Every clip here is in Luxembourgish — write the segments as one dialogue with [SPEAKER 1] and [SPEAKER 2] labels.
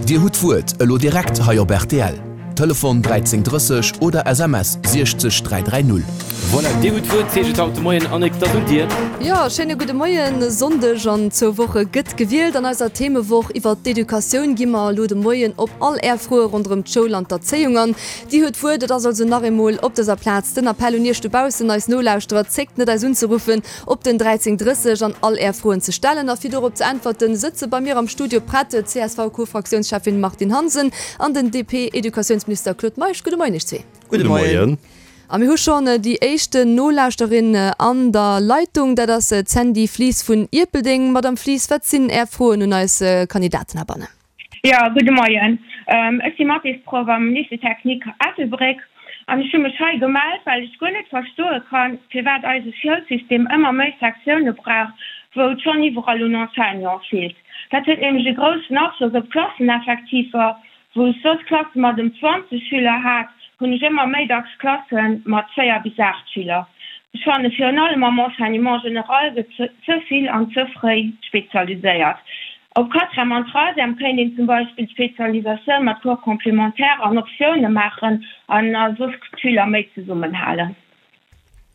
[SPEAKER 1] Dir hutt d'Wuert elo direkt hei op rtl. Telefon 13 30 oder SMS 60 330.
[SPEAKER 2] Voilà, Dir hutt d'Wuert, heescht et haut de Moien. Annick, 't ass un dir.
[SPEAKER 3] Jo, schéine gudde Moien. E Sonndeg an zwou Woche gëtt gewielt. An eiser Themewoch iwwert d'Educatioun gi mer elo de Moien op all Är Froe ronderëm d'Schoul an d'Erzéiung an. Dir hutt d'Wuert. Et ass also nach eemol op dëser Plaz den Appell un Iech dobaussen, eis Nolauschterer, Zéckt net eis unzeruffen op den 13 30 an all Är Froen ze stellen. A fir dorop ze äntwerten, sëtze bei mir am Studio prett d'CSV-Co-Fraktiounscheffin Martine Hansen an den DP-Educatiounsminister Claude Meisch. Gudde Moien Iech zwee.
[SPEAKER 4] Gudde Moien.
[SPEAKER 3] A mir hu schonn déi éischten Nolauschterin an der Leitung, dat ass d'Sandy Flies vun Ierpeldeng. Madame Flies, wat sinn Är Froen un eis Kandidaten heibannen?
[SPEAKER 5] Jo, gudde Moien. Ech si Mathésproff am Lycée Technique Ettelbréck an ech hu mech hei gemellt, well ech guer net verstoe kann, firwat eise Schoulsystem ëmmer méi Sektioune brauch, wou et schonn iwwerall un Enseignante feelt. Dat huet nämlech e groussen Afloss op d'Klasseneffektiver. Wou ech soss Klasse mat ëm 20 Schüler hat, hunn ech ëmmer méi dacks Klasse mat 4 bis 8 Schüler. Ech fanne virun allem am Enseignement général gëtt ze vill an ze fréi spezialiséiert. Op Quatrième an Troisième kéint een zum Beispill d'Spezialisatioun mat Cours complémentaires an Optioune maachen an a soss d'Schüler méi zesummenhalen.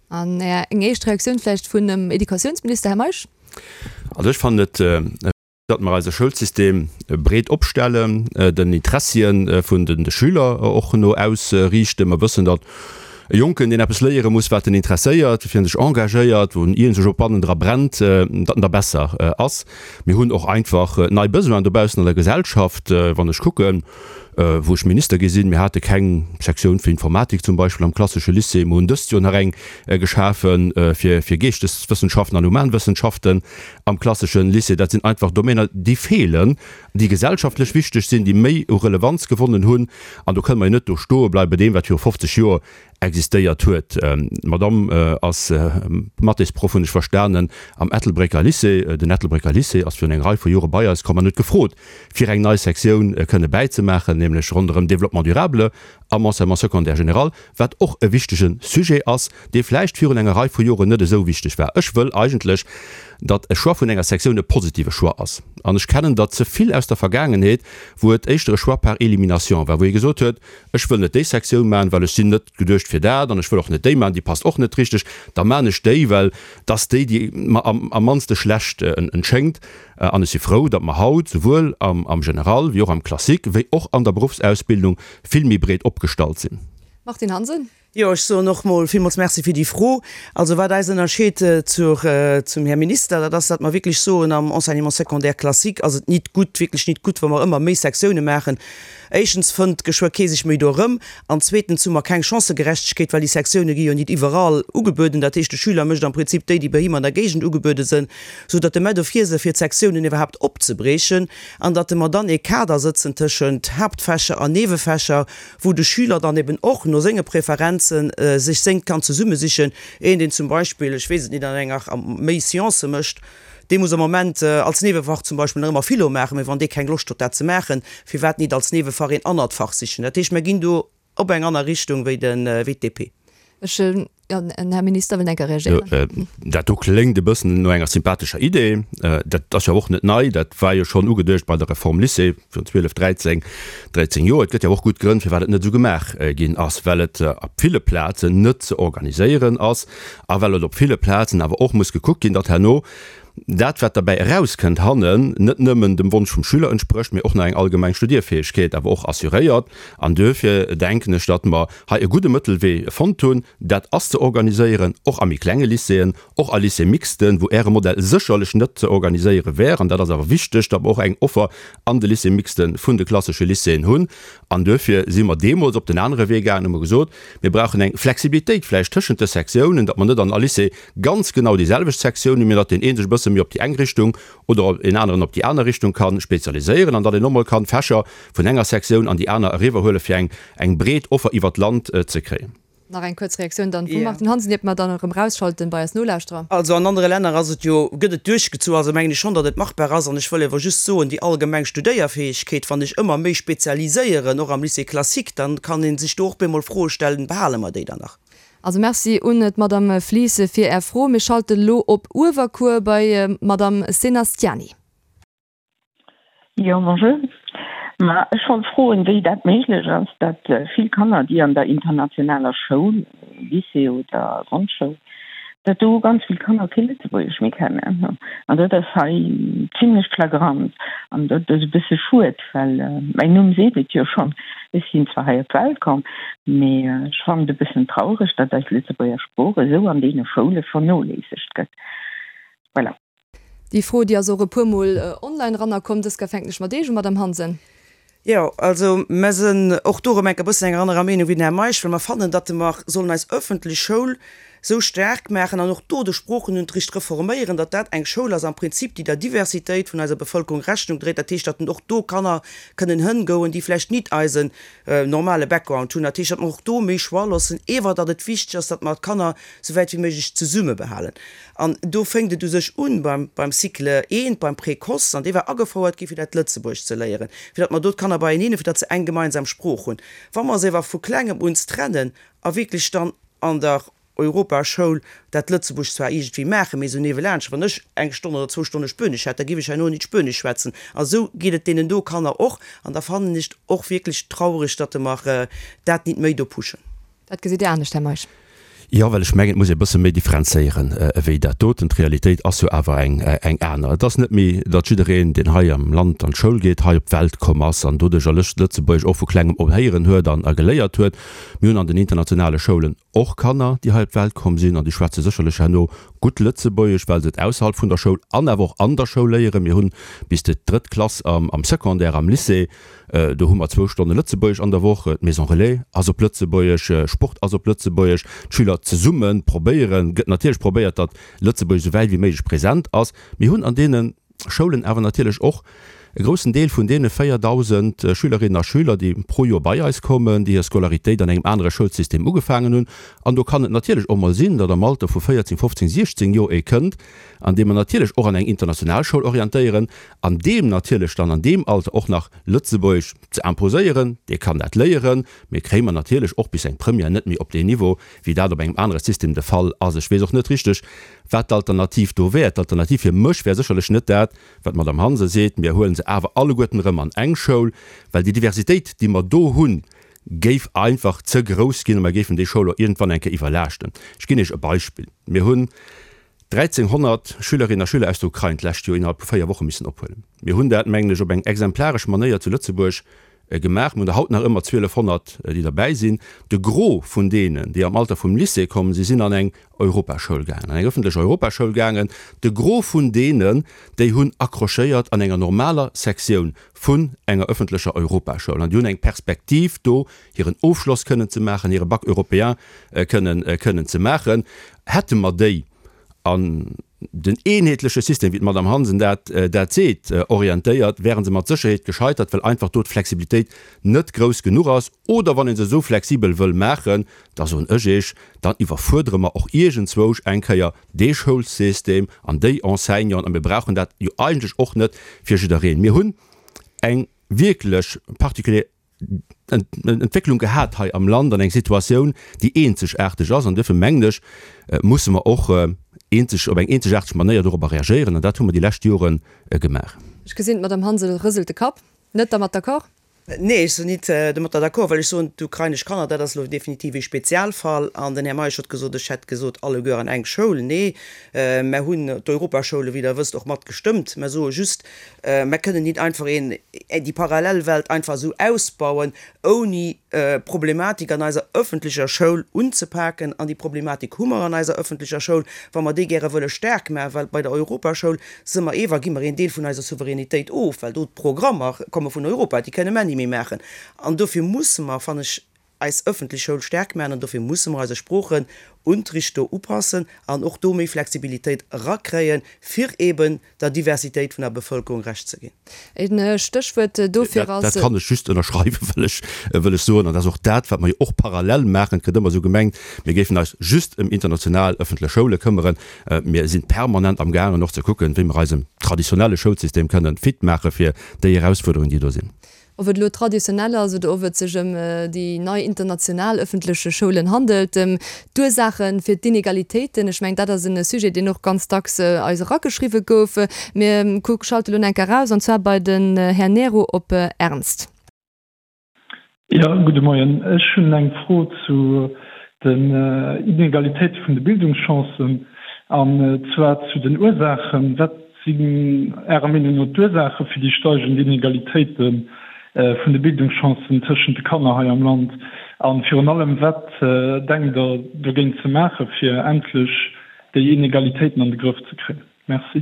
[SPEAKER 3] An eng éischt Reaktioun vläicht vun dem Educatiounsminister, Här Meisch?
[SPEAKER 4] Also ech fannen et, datt mer eise Schoulsystem breet opstellen, den Interessie vun de Schüler och no ausriichten. Mer wëssen, datt E Jonken, deen eppes léiere muss, wat en interesséiert, woufir en sech engagéiert, wou en iergendwou och bannendra brennt, datt en da besser ass. Mir hunn och einfach nei Besoinen dobaussen an der Gesellschaft. Wann ech kucken, wou ech Minister gi sinn, mir hate keng Sektioun fir Informatik zum Beispill am klassesche Lycée. Mir hunn dëst Joer nach eng geschafe fir fir Geeschteswëssenschaften an Humanwëssenschaften am klassesche Lycée. Dat sinn einfach Domainer, déi feelen. déi gesellschaftlech wichteg sinn, déi méi u Relevanz gewonnen hunn, an do kënne mer jo net do stoe bleiwe bei deem, wat viru 50 Joer existéiert huet. D'Madamm ass Mathésproff, hunn ech verstanen, am Ettelbrécker Lycée. Den Ettelbrécker Lycée ass virun enger Rei vu Jore bei eis komm an huet gefrot, fir eng nei Sektioun kënne bäizemaachen, nämlech ronderëm Développement durable am Enseignement secondaire général, wat och e wichtege Sujet ass, dee vläicht virun enger Rei vu Joren net esou wichteg war. Ech wëll eigentlech, datt e Choix vun enger Sektioun e positive Choix ass. An ech kennen der ze vill aus der Vergaangenheet, wou et éischter e Choix par élimination war, wou ee gesot huet, Ech wëll net déi Sektioun maachen, well ech sinn net geduecht fir dat, an ech wëll och net déi maachen, déi passt och net richteg, da maachen ech déi, well 't ass déi, déi mer am mannste schlecht entschéngt. An ech si frou, datt mer haut souwuel am General wéi och am Classique wéi och an der Beruffsausbildung vill méi breet opgestallt sinn.
[SPEAKER 3] Martine Hansen.
[SPEAKER 6] Jo, ech soen och mol villmools Merci fir déi Fro. Also wat eis ënnerscheet zur, zum Här Minister, dat ass, datt mer wierklech soen, am Enseignement secondaire classique ass et nit gutt, wierklech nit gutt, wa mer ëmmer méi Sektioune maachen. Éischtens fënnt geschwë kee sech méi do erëm an zweetens hu mer keng Chancëgerechtegkeet, well déi Sektioune gi jo nit iwwerall ugebueden. Dat heescht, de Schüler mécht am Prinzip déi, déi bei him an der Géigend ugebuede sënn, sou datt de mer dofir së fir d'Sektiounen iwwerhaapt opzebriechen an datt mer dann ee Kader sëtzen tëschent Haaptfächer an Niewefächer, wou de Schüler dann eben och no senge Preferenze sech sengt kann zesummesichen. Een, deen zum Beispill, ech weess et nit, an enger méi Sciences mécht, Dee muss am Moment als Niewefach zum Beispill nach ëmmer Philo maachen, mee wann dee keng Loscht huet dat ze maachen, firwat nit als Niewefach een anert Fach sichen? Dat heescht, mer ginn do op eng aner Richtung wéi den, wéi d'DP.
[SPEAKER 3] Ech, jo, den Här Minister wëllt eng Kéier reagéieren.
[SPEAKER 4] Dat do kléngt e bëssen no enger sympathescher Idee. Dat ass jo och net nei, dat war jo schonn ugeduecht bei der Reform Lycée virun 12, 13, 13 Joer. Et gëtt jo och gutt Grënn, firwat et net esou gemaach ginn ass, well et op ville Plazen net ze organiséieren ass. A well et op ville Plazen awer och muss gekuckt ginn, datt herno dat, wat derbäi erauskënnt hannen, net nëmmen dem Wonsch vum Schüler entsprécht, mee och nach eng allgemeng Studierfäegkeet awer och assuréiert. An duerfir denken ech, datt mer hei e gudde Mëttelwee fonnt hunn. Dat ass ze organiséieren, och a méi klenge Lycéeën, och a Lycée-mixten, wou Äre Modell sécherlech net ze organiséiere wär. An dat ass awer wichteg, datt mer och eng Offer an de Lycée-mixte vun de klassesche Lycéeën hunn. An duerfir si mer deemools op den anere Wee gaangen, hu mer gesot, Mir brauchen eng Flexibilitéit vläicht tëschent de Sektiounen, datt mer net an all Lycée ganz genau déi selwecht Sektioun hunn, mee datt deen ee sech e bësse méi op déi eng Richtung oder een aneren op déi aner Richtung ka spezialiséieren an datt een och mol kann Fächer vun enger Sektioun an déi aner eriwwerhuelen, fir eng eng breet Offer iwwert d'Land ze kréien.
[SPEAKER 3] Nach eng kuerz Reaktioun dann vum Martine Hansen, iert mer dann erëm erausschalten bei eis Nolauschterer.
[SPEAKER 6] Also an anere Länner ass et jo, gëtt et duerchgezu, also mengen ech schonn, datt et machbar ass. An ech wëll ewer just soen, déi allgemeng Studéierfäegkeet, wann ech ëmmer méi spezialiséieren, och am Lycée classique, dann kann ee sech do och bemol Froe stellen, behale mer déi dann nach?
[SPEAKER 3] Also Merci un d'Madame Flies fir Är Fro. Mir schalten elo op Uewerkuer bei d'Madame Senastiani.
[SPEAKER 7] Jo, bonjour. Ma ech wollt froen, wéi dat méiglech ass, datt vill Kanner, déi an der internationaler Schoul, Lycée oder Grondschoul, datt do ganz vill Kanner kee Lëtzebuergesch méi kennen. An dat ass hei zimlech flagrant. An dat ass e bësse schued, well mäin Numm seet et jo schonn, ech sinn zwar hei op d'Welt komm, mee ech fannen et e bëssen traureg, datt eis Lëtzebuerger Sprooch esou an deene Schoule vernoléissegt gëtt. Voilà.
[SPEAKER 3] Déi Fro, déi ass och e puermol online erannerkomm. Dës Kéier fänken ech mat Iech u, Madamm Hansen.
[SPEAKER 6] Jo, also mer sinn och do erëm enk e bëssen enger anerer Meenung wéi den Här Meisch, well mer fannen, datt mer sollen eis öffentlech Schoul esou staark maachen an och do de Sproochenunterricht reforméieren, datt dat eng Schoul ass am Prinzip, déi der Diversitéit vun eiser Bevëlkerung Rechnung dréit. Dat heescht, datt och do Kanner kënnen hëngoen, déi vläicht nit eisen normale Background hunn. Dat heescht, datt mer och do méi Choix loossen, ewer datt et wichteg ass, datt mer d'Kanner souwäit wéi méiglech zesummebehalen. An do fénkt et u sech un beim, beim Cycle I, beim Précoce, an dee war agefouert gi fir dat Lëtzebuergesch ze léieren, fir datt mer do d'Kanner beieneen hunn, fir datt se eng gemeinsam Sprooch hunn. Wa mer se ewer vu klengem un trennen a wierklech dann an der Europaschoul dat Lëtzebuergesch zwar iergendwéi maachen, mee esou niewelaanscht, wann ech eng Stonn oder zwou Stonne Spuenesch hätt, da géif ech herno nit Spuenesch schwätzen. A esou geet et deenen do Kanner och. An da fannen ech et och wierklech traureg, datt mer dat nit méi do pushen.
[SPEAKER 3] Dat gesitt Dir anescht, Här Meisch?
[SPEAKER 4] Jo, well ech mengen, et muss ee e bësse méi differenzéieren ewéi dat doten. D'Realitéit ass jo awer eng eng aner. Et ass net méi, datt jiddereen, deen hei am Land an d'Schoul geet, hei op d'Welt komm ass an doduercher Lëtzebuergesch och vu klengem op héieren huet an a geléiert huet. Mir hunn an den internationale Schoulen och Kanner, déi hei op d'Welt komm sinn an déi schwätze sécherlech herno gutt Lëtzebuergesch, well se et ausserhalb vun der Schoul an awer och an der Schoul léieren. Mir hunn bis de drëtt Klass am am Secondaire, am Lycée, Do hu mer zwou Stonne Lëtzebuergesch an der Woch. D'Maison Relais ass op Lëtzebuergesch, Sport ass op Lëtzebuergesch. D'Schüler zesumme probéieren, gëtt natierlech probéiert, datt Lëtzebuergesch esou wäit wéi méiglech present ass. Mir hunn an deene Schoulen awer natierlech och e groussen Deel vun deene 4.000 Schülerinnen a Schüler, déi pro Joer bei eis kommen, déi hir Scolaritéit an engem anere Schoulsystem ugefaangen hunn. An do kann et natierlech och mol sinn, datt am Alter vu 14, 15, 16 Joer ee kënnt, an dee mer natierlech och an eng international Schoul orientéieren, an deem natierlech dann an deem Alter och nach Lëtzebuergesch ze imposéieren, dee kann dat léieren, mee kréie mer natierlech och bis eng Première net méi op deen Niveau, wéi dat op engem anere System de Fall ass. Ech weess och net richteg, wat d'Alternativ do wär. D'Alternativ fir mech wär sécherlech net dat, wat d'Madame Hansen seet, mir huele se awer alleguerten erëm an eng Schoul, well déi Diversitéit, déi mer do hunn, géif einfach ze grouss ginn a mer géifen déi Schoul och iergendwann eng Kéier iwwerlaaschten. Ech ginn Iech e Beispill, Mir hunn 1.300 Schülerinnen a Schüler aus der Ukrain d'lescht Joer innerhalb vu 4 Woche missen ophuelen. Mir hunn dat, mengen ech, op eng exemplaresch Manéier zu Lëtzebuerg gemaach. Mir hunn der haut nach ëmmer 1.200, déi derbäi sinn. De Gros vun deenen, déi am Alter vum Lycée kommen, si sinn an eng Europaschoul gaangen, an eng ëffentlech Europaschoul gaangen. De Gros vun deenen, déi hunn accrochéiert an enger normaler Sektioun vun enger ëffentlecher Europaschoul an déi hunn eng Perspektiv do, hiren Ofschloss kënnen ze maachen, hire Bac européen kënnen kënnen ze maachen. Hätte mer déi an den eenheetleche System, wéi d'Madame Hansen dat dat seet, orientéiert, wäre se mat Sécherheet gescheitert, well einfach do d'Flexibilitéit net grouss genuch ass. Oder wann ee se esou flexibel wëll maachen, da soen ech Iech, dann iwwerfuerdere mer och iergendzwousch eng Kéier dee Schoulsystem an déi Enseignanten. A mir brauchen dat jo eigentlech och net fir jiddereen. Mir hunn eng wierklech particulier Entwécklung gehat hei am Land an eng Situatioun, déi eenzegaarteg ass. An duerfir mengen ech, musse mer och eenzeg, op eng eenzegaarteg Manéier dorobber reagéieren. An dat hu mer déi lescht Jore gemaach.
[SPEAKER 3] Ech gesinn, d'Madame Hansel rëselt de Kapp. Net dermat d'accord?
[SPEAKER 6] Nee, ech sinn nit domatter d'accord, well ech soen, d'ukrainesch Kanner, dat ass elo definitiv ee Spezialfall. An den Här Meisch huet gesot, ech hätt gesot, alleguer an eng Schoul. Nee, mer hunn d'Europaschoule, wéi Der wësst, och mat gestëmmt. Mer soe just, Mer kënnen nit einfach een, déi Parallelwelt einfach esou ausbauen, ouni d'Problematik an eiser öffentlecher Schoul unzepaken. An déi Problematik hu mer an eiser öffentlecher Schoul, wa mer déi gäre wëlle staark maachen, well bei der Europaschoul si mer ewer, gi mer een Deel vun eiser Souveränitéit of, well do d'Programmer komme vun Europa, déi kënne mer ni méi maachen. An dofir musse mer, fannen ech, eis ëffentlech Schoul staark maachen an dofir musse mer eise Sproochenunterricht do upassen an och do méi Flexibilitéit erakréien, fir eben der Diversitéit vun der Bevëlkerung Recht ze ginn.
[SPEAKER 3] E Stéchwuert dofir ass.
[SPEAKER 4] Dat kann ech just ënnerschreiwen, wëll ech, wëll ech soen. An dat ass och dat, wat mer jo och parallel maachen. Et gëtt ëmmer esou gemengt, mir géifen eis just ëm international ëffentlech Schoule këmmeren. Mir sinn permanent amgaangen och ze kucken, wéi mer eisen traditionelle Schoulsystem kënnen fit maache fir déi Erausfuerderungen, déi do sinn.
[SPEAKER 3] Ob et elo traditionell ass oder ob et sech ëm déi nei international ëffentleche Schoulen handelt, d'Ursaache fir d'Inegalitéiten, ech mengen, dat ass e Sujet, deen och ganz dacks eis erageschriwwe gouf. Mir schalte lo enk eraus, an zwar bei den Här Nero op Ernst.
[SPEAKER 8] Jo, gudde Moien. Ech hunn eng Fro zu den Inegalitéite vun de Bildungschancen, an zwar zu den Ursaachen. Wat sinn Ärer Meenung no d'Ursaache fir déi steigend Inegalitéite vun de Bildungschancen tëschent de Kanner hei am Land? A virun allem, wat denkt Der dogéint ze maachen, fir endlech déi Inegalitéiten an de Grëff ze kréien? Merci.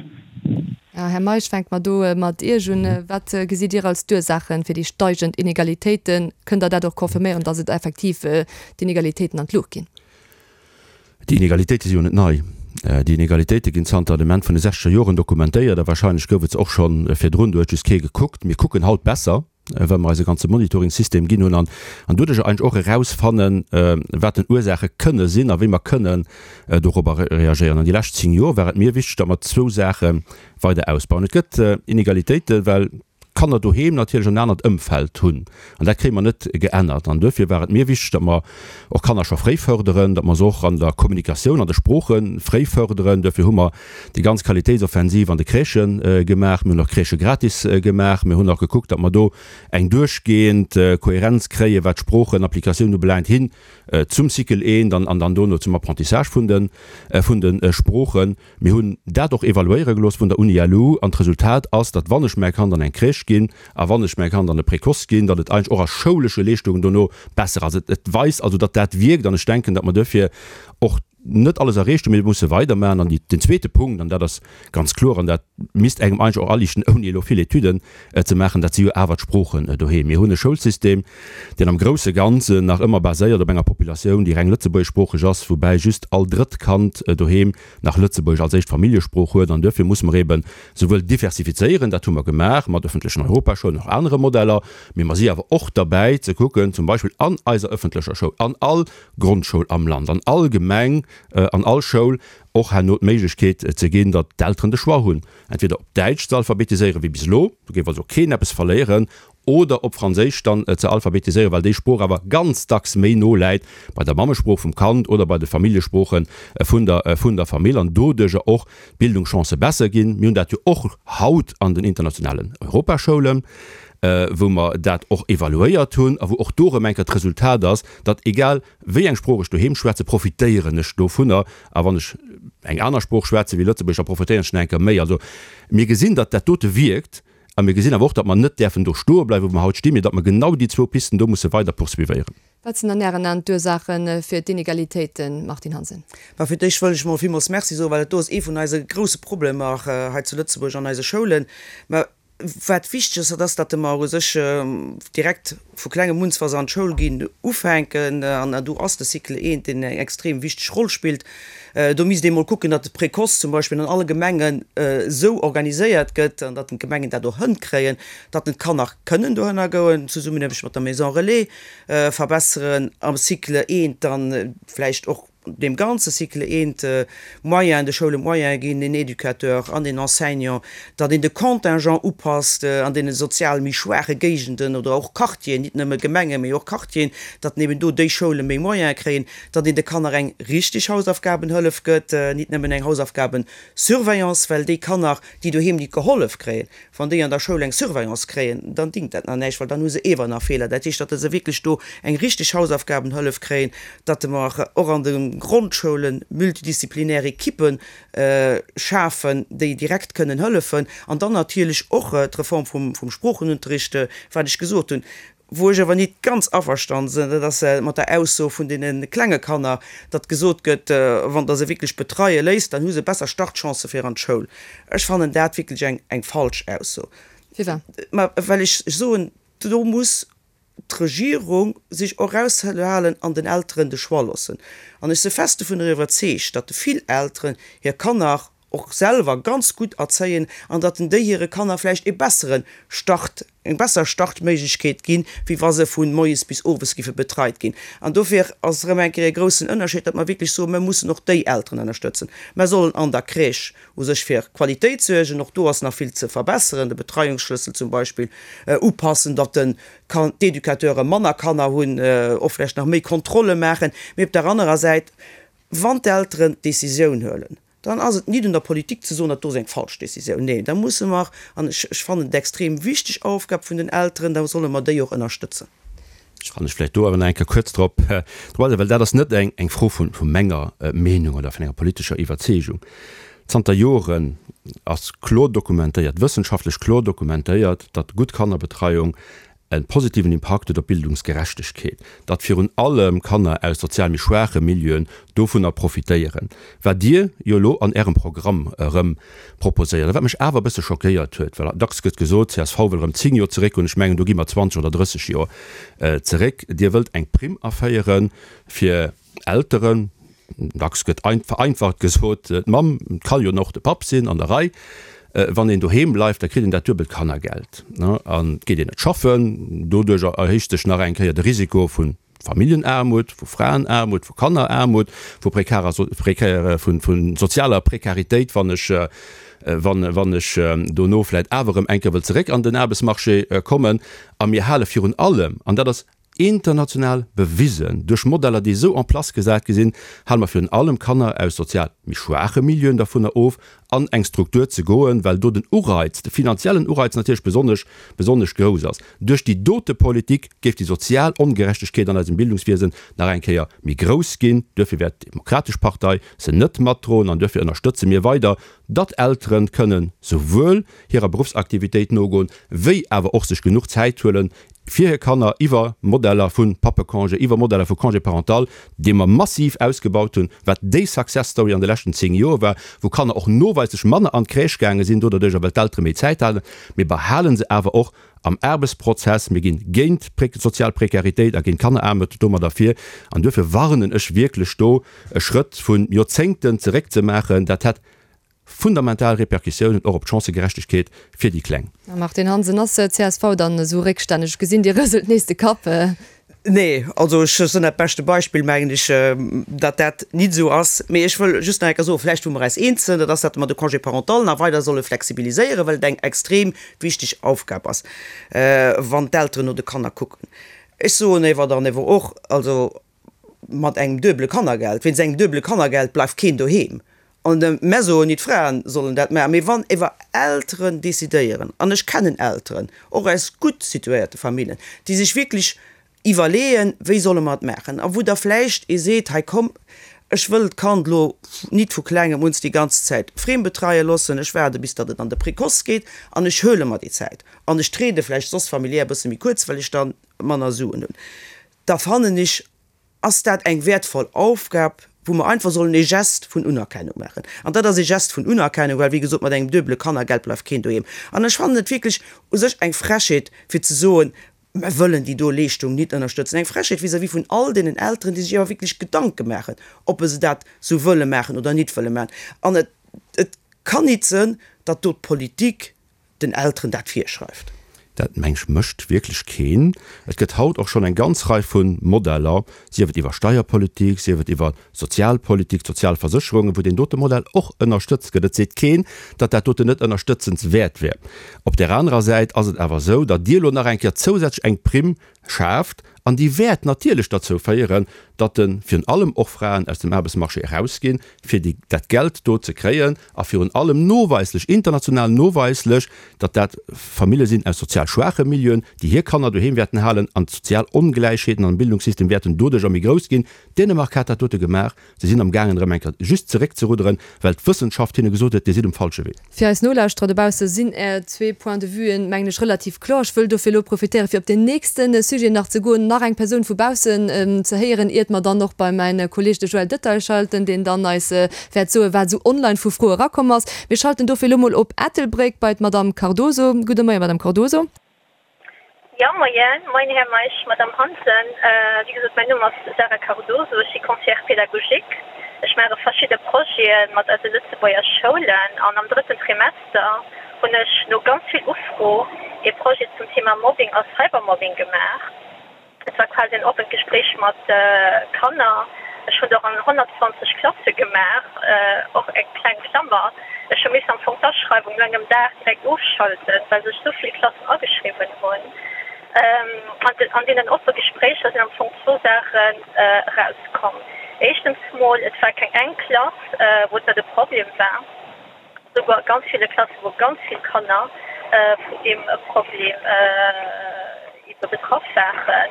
[SPEAKER 3] Här Meisch, fänke mer do mat Iech un. Wat gesitt Dir als d'Ursaache fir déi steigend Inegalitéiten? Kënnt Der dat och confirméieren, datt et effektiv d'Inegalitéiten an d'Luucht ginn?
[SPEAKER 4] Déi Inegalitéite si jo net nei. Déi Inegalitéite ginn zanter dem Enn vun de sechzeger Joren dokumentéiert a warscheinlech gouf et se och scho virdrun, do huet just kee gekuckt. Mir kucken haut besser. well mer eis e ganze Monitoring-System ginn hunn an an doduercher eigentlech och erausfannen, wat denn Ursaache kënne sinn a wéi mer kënnen dorobber reagéieren. An déi lescht 10 Joer war et mir wichteg, datt mer zwou Saache weider ausbauen. Et gëtt Inegalitéiten, well d'Kanner doheem natierlech en anert Ëmfeld hunn an dat kréie mer net geännert. An duerfir war et mir wichteg, datt mer och Kanner scho fréi fërderen, datt mer se och an der Kommunikatioun, an de Sprooche fréi fërderen. Duerfir hu mer déi ganz Qualitéitsoffensiv an de Crèchë gemaach, mir hunn och Crèchë gratis gemaach, mir hunn och gekuckt, datt mer do eng duerchgehend Kohärenz kréien, wat d'Sproochenapplikatioun ubelaangt, hin zum Cycle I dann an dann dono zum Apprentissage vun de vun de Sproochen. Mir hunn dat och evaluéiere gelooss vun der Uni-LU an d'Resultat ass, datt wann ech mäi Kand an eng Crèche ginn a wann ech mäi Kand an e Précoce ginn, datt et eigentlech och a schoulesche Leeschtungen dono besser ass. Et weist also, datt dat wierkt an ech denken, datt mer duerfir och net alles erreecht hunn, mee mir musse weidermaachen. An den zweete Punkt, an dat ass ganz kloer, an dat misst engem eigentlech och aliichten, ouni elo vill Etüden ze maachen, dat si jo awer d'Sproochen doheem. Mir hunn e Schoulsystem, deen am grousse Ganzen nach ëmmer baséiert op enger Populatioun, déi reng lëtzebuergeschsproocheg ass, woubäi just all drëtt Kand doheem nach Lëtzebuergesch als éischt Familljesprooch huet. An duerfir musse mer eeben souwuel diversifizéieren, dat hu mer gemaach mat öffentlechen Europaschoulen, och anere Modeller, mee mer si awer och derbäi ze kucken, zum Beispill an eiser öffentlecher Schoul, an all Grondschoul am Land, an all Gemeng, an all Schoul och herno d'Méiglechkeet ze ginn, datt d'Elteren de Choix hunn, entweder op Däitsch ze alphabetiséieren, wéi bis elo, do géif also keen eppes verléieren, oder op Franséisch dann ze alphabetiséieren, well déi Sprooch awer ganz dacks méi no läit bei der Mammesprooch vum Kand oder bei de Familljesprooche vun der vun der Famill an doduerjer och d'Bildungschancë besser ginn. Mir hunn dat jo och haut an den internationalen Europaschoulen, wou mer dat och evaluéiert hunn a wou och do erëm eng Kéier d'Resultat ass, datt egal wéi eng Sprooch ech doheem schwätze, profitéieren ech dovunner, a wann ech eng aner Sprooch schwätze wéi Lëtzebuergesch, da profitéieren ech nach eng Kéier méi. Also mir gesinn, datt dat dote wierkt a mir gesinn awer och, datt mer net däerfen do stoe bleiwen, wou mer haut stinn, mee datt mer genau déi zwou Pisten do musse weider poursuivéieren.
[SPEAKER 3] Wat sinn an Ären Aen d'Ursaache fir d'Inegalitéiten, Martine Hansen?
[SPEAKER 6] Mä fir d'éischt wëll ech mol villmools Merci soen, well dat do ass ee vun eise grouse Problemer hei zu Lëtzebuerg an eise Schoulen. Mä Wat wichteg ass, dat ass, datt mer u sech direkt vu klengem un, wa se an d'Schoul ginn, ufänken. An do ass de Cycle eent, deen eng extrem wichteg Roll spillt. Do misst ee mol kucken, datt de Précoce zum Beispill an alle Gemengen esou organiséiert gëtt an datt d'Gemengen dat och hënkréien, datt den d'Kanner kënnen dohënner goen, Zesummenaarbecht mat der Maison relais verbesseren am Cycle eent, dann vläicht och deem ganze Cycle eent Moyen, de Schoulen d'Moyene ginn, den Educateur an den Enseignant, datt een de Contingent upasst an deene sozial méi schwaache Géigenden oder och Quartieren, nit nëmme Gemengen, mee och Quartieren, datt eben do déi Schoule méi Moyene kréien, datt een de Kanner eng richtig Hausaufgabenhëllef gëtt, nit nëmmen eng Hausaufgabensurveillance, well déi Kanner, déi doheem nit gehollef kréien, Wann déi an der Schoul eng Surveillance kréien, dann dingt dat nach näischt, well dann hu se ewer nach Feeler. Dat heescht, datt se wierklech do eng richteg Hausaufgabenhëllef kréien, datt mer och an de Grondschoule multidisziplinär Ekippe schafen, déi direkt kënnen hëllefen. An dann natierlech och d'Reform vum Sproochenunterricht, wat ech gesot hunn. Wou ech awer nit ganz averstanen sinn, dat ass mat der Ausso vun deene klenge Kanner, datt gesot gëtt, wann Der se wierklech betreie léisst, dann hu se besser Startchancë fir an d'Schoul. Ech fannen dat wierklech eng, eng falsch Ausso.
[SPEAKER 3] Firwat?
[SPEAKER 6] Ma well ech soen, do muss d'Regierung sech och eraushalen an den Elteren de Choix loossen. An ech si fest dovunner iwwerzeegt, datt vill Elteren hir Kanner och selwer ganz gutt erzéien an datt en déi hire Kanner vläicht e bessere Start, eng besser Startméiglechkeet ginn, wéi wa se vu moies bis owes giffe betreit ginn. An dofir ass erëm eng Kéier e groussen Ënnerscheed, datt mer wierklech soen, mer mussen och déi Elteren ënnerstëtzen. Mer sollen an der Crèche u sech fir Qualitéit suergen, och do ass nach vill ze verbesseren, de Betreiungsschlëssel zum Beispill upassen, datt de d'Educateure manner Kanner hunn, och vläicht nach méi Kontrolle maachen. Mee op der anerer Säit, wann d'Elteren d'Décisioun huelen, Dann ass et nit un der Politik ze soen, dat do ass eng falsch Décisioun. Neen, da musse mer, an ech, ech fannen et extrem wichteg Aufgab vun den Elteren, da solle mer déi och ënnerstëtzen.
[SPEAKER 4] Kann ech vläicht do awer nach eng Kéier kuerz drop agoen, well dat ass net eng Fro vu menger Meenung oder vun enger politescher Iwwerzeegung. Zanter Joren ass kloer dokumentéiert, wëssenschaftlech kloer dokumentéiert, datt gutt Kannerbetreiung e positiven Impakt huet op d'Bildungsgerechtegkeet, datt virun allem Kanner aus sozial méi schwaache Milieuen dovunner profitéieren, wat Dir jo elo an Ärem Programm erëm proposéiert. A wat mech awer e bësse schockéiert huet, well dacks gëtt gesot, csv wëll erëm 10 Joer zeréckgoen, ech mengen do gi mer 20 oder 30 Joer zeréck, Dir wëllt eng Primm aféiere fir Elteren, dacks gëtt vereinfacht gesot, d'Mamm, et ka jo och de Papp sinn, an der Rei, wann een doheem bleift, da kritt een dat duebelt Kannergeld an et geet een net schaffen. Doduerch erhéicht sech nach eng Kéier de Risiko vu Familljenaarmut, vu Fraenaarmut, vu Kanneraarmut, vu prekarer, vu sozialer Prekaritéit, wann ech, wann ech dono vläicht awer erëm eng Kéier wëll zeréck an den Aarbechtsmarché kommen. A mir hale virun allem, an dat ass International bewisen, duerch Modeller, déi esou en place gesat gi sinn, hale mer virun allem Kanner aus sozial méi schwaache Milieuen dervunner of, an eng Struktur ze goen, well do den Ureiz, de finanziellen Ureiz natierlech besonnesch, besonnesch grouss ass. Duerch déi dote Politik géif déi sozial Ongerechtegkeet an eisem Bildungswiesen nach eng Kéier méi grouss ginn. Duerfir wäert d'Demokratesch Partei se net matdroen an duerfir ënnerstëtze mir weider, datt Elteren kënnen souwuel hirer Beruffsaktivitéit nogoen, wéi awer och sech genuch Zäit huelen, fir hir Kanner iwwer Modeller vu Pappecongé, iwwer Modeller vu Congé parental, dee mer massiv ausgebaut hunn, wat déi Success Story an de leschten 10 Joer war, wou Kanner och noweislech manner an d'Crèche gaange sinn doderduercher, well d'Eltere méi Zäit haten. Mir behale se awer och am Aarbechtsprozess. Mir ginn géint d'sozial Prekaritéit a géint d'Kanneraarmut domadder vir. An duerfir warnen ech wierklech do, e Schrëtt vu Joerzéngten zeréckzemaachen, dat hätt fundamental Repercussiounen och op d'Chancëgerechtegkeet fir déi Kleng.
[SPEAKER 3] Martine Hansen, Ass csv dann esou réckstänneg? Ech gesinn, Dir rëselt nees de Kapp.
[SPEAKER 6] Nee, also ech sinn dat beschte Beispill, mengen ech, datt dat nit esou ass. Mee ech wëll just nach eng Kéier soen, vläicht wou mer eis eens sinn, dat ass, datt mer de Congé parental nach weider solle flexibiliséieren, well et eng extrem wichteg Aufgab ass, wann d'Elteren no de Kanner kucken. Ech soen ewer dann ewer och, also mat engem duebele Kannergeld, wéinst engem duebele Kannergeld bleift keen doheem. An de mer soen nit d'Fraen sollen dat maachen, mee wann ewer Elteren decidéieren, an ech kennen Elteren, och aus gutt situéierte Famillen, déi sech wierklech iwwerleeën, wéi solle mer et maachen, a wou da vläicht ee seet, hei komm, ech wëll d'Kand elo nit vu klengem uns déi ganz Zäit friem betreie loossen, ech waarde bis datt et an de Précoce geet an ech huele mer déi Zäit an ech triede vläicht soss familiär e bësse méi kuerz, well ech da manner Suen hunn. da fannen ech, ass dat eng wäertvoll Aufgab, wou mer einfach sollen ee Geste vun Unerkennung maachen. An dat ass ee Geste vun Unerkennung, well, wéi gesot, mat engem duebele Kannergeld bleift keen doheem. An ech fannen et wierklech u sech eng Frechheet, fir ze soen, mer wëllen déi do Leeschtung nit ënnerstëtzen. Eng Frechheet vis-à-vis vun all deenen Elteren, déi sech awer wierklech Gedanke maachen, ob se dat sou wëlle maachen oder nit wëlle maachen. An et, et kann nit sënn, datt do d'Politik den Elteren dat virschreift.
[SPEAKER 4] Dat, meng ech, mécht wierklech keen. Et gëtt haut och schonn eng ganz Rei vu Modeller, sief et iwwer Steierpolitik, sief et iwwer Sozialpolitik, d'Sozialversécherungen, wou deen dote Modell och ënnerstëtzt gëtt. Et seet keen, datt dat doten net ënnerstëtzenswäert wär. Op där anerer Säit ass et awer esou, datt Dir elo nach eng Kéier zousätzlech eng Primm schaaft an déi wäert natierlech derzou féieren, datt de virun allem och Fraen aus dem Aarbechtsmarché erausginn, fir déi dat Geld do ze kréien a virun allem noweislech, international noweislech, datt dat Famillje sinn aus sozial schwaache Milieuen, déi hir Kanner doheem wäerten halen an d'sozial Ongläichheeten am Bildungssystem wäerten doduercher méi grouss ginn. Dänemark hat dat dote gemaach. Se sinn am gaangen erëm eng Kéier just zeréckzerudderen, well d'Wëssenschaft hinne gesot huet, Dir sidd um falsche Wee.
[SPEAKER 3] Fir eis Nolauschterer dobausse sinn Är zwee Points de vuen, mengen ech, relativ kloer. Ech wëll dofir elo profitéieren, fir op deen nächste Sujet nach ze goen, nach eng Persoun vu baussen ze héieren, iert mer dann och bei mäin Kolleeg, de Joël Detaille, schalten, deen dann eis wäert soen, wat esou online vu Froe erakomm ass. Mir schalten dofir elo mol op Ettelbréck bei d'Madamm Cardoso. Gudde Moien, Madamm Cardoso.
[SPEAKER 9] Jo, moien. Moien, Här Meisch, Madamm Hansen. Wéi gesot, mäin Numm ass Sarah Cardoso, ech si Conseillère pédagogique. Ech maache verschidde Projete mat eise Lëtzebuerger Schoulen an am drëtten Trimester hunn ech no ganz vill Ufro ee Projet zum Thema Mobbing a Cybermobbing gemaach. Et war quasi en oppent Gespréich mat Kanner. Ech hunn et och an 120 Klasse gemaach, och eng kleng Klammer, ech hu missen am Fong d'Aschreiwung no engem Dag direkt ofschalten, well sech esou vill Klassen ageschriwwen hunn. An deenen oppe Gespréicher sinn am Fong zwou Saachen erauskomm. Éischtens mol, et war keng eng Klass, wou dat e Problem war. Souguer a ganz ville Klasse wou ganz vill Kanner vun deem Problem ebe betraff waren.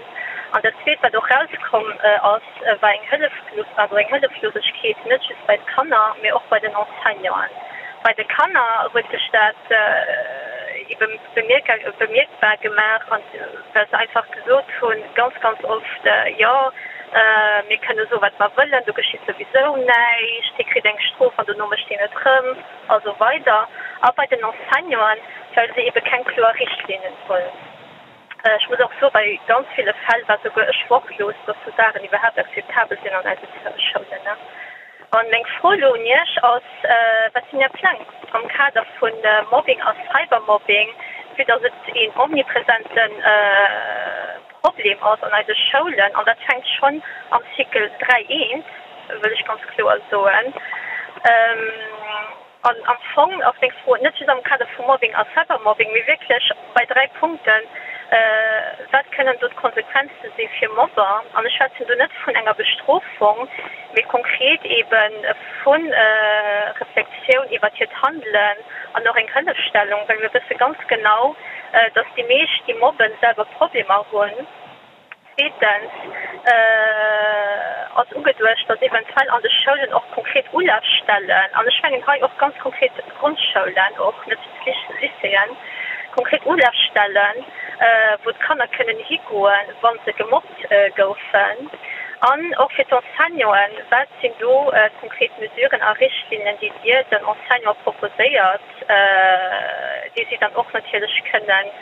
[SPEAKER 9] An dat Zweet, wat och erauskomm ass, war eng Hëlleflos, also eng Hëlleflosegkeet, net just bei de Kanner, mee och bei den Enseignanten. Bei de Kanner huet sech dat ebe bemierkbar gemaach, well se einfach gesot hunn, ganz, ganz oft, Jo, mir kënne soen, wat mer wëllen, do geschitt souwisou näischt, hie kritt eng Strof an dono mécht hien et erëm, a sou weider. A bei den Enseignanten, well se ebe keng kloer Richtlinnen hunn. Ech muss och soen, bei ganz ville Fäll war souguer ech wortlos, dass sou Saachen iwwerhaapt akzeptabel sinn an eise Schoulen. An meng Fro elo un Iech ass, Wat sinn Är Pläng am Kader vu Mobbing a Cybermobbing, vue dass et een omnipresente Problem ass an eise Schoulen, an dat fänkt schonn am Cycle 3 eent, wëll ech ganz kloer soen. An am Fong ass meng Fro net just am Kader vu Mobbing a Cybermobbing, mee wierklech bei 3 Punkten, Wat kënnen do d'Konsequenze si fir Mobber? An ech schwätzen do net vun enger Bestrofung, mee konkret ebe vu Reflexioun iwwert hiert Handelen an och eng Hëllefstellung, well mir wësse ganz genau, dass déi meescht, déi mobben, selwer Problemer hunn. Zweetens ass ugeduecht, datt eventuell an de Schoulen och konkret Ulafstellen, an ech mengen hei och ganz konkret d'Grondschoulen och, net just d'Lycéeën, konkret Ulafstellen, wou d'Kanner kënnen higoen, wa se gemobbt goufen. An och fir d'Enseignanten, Wat sinn do konkret Mesuren a Richtlinnen, déi Dir den Enseignante proposéiert, déi si dann och natierlech kënnen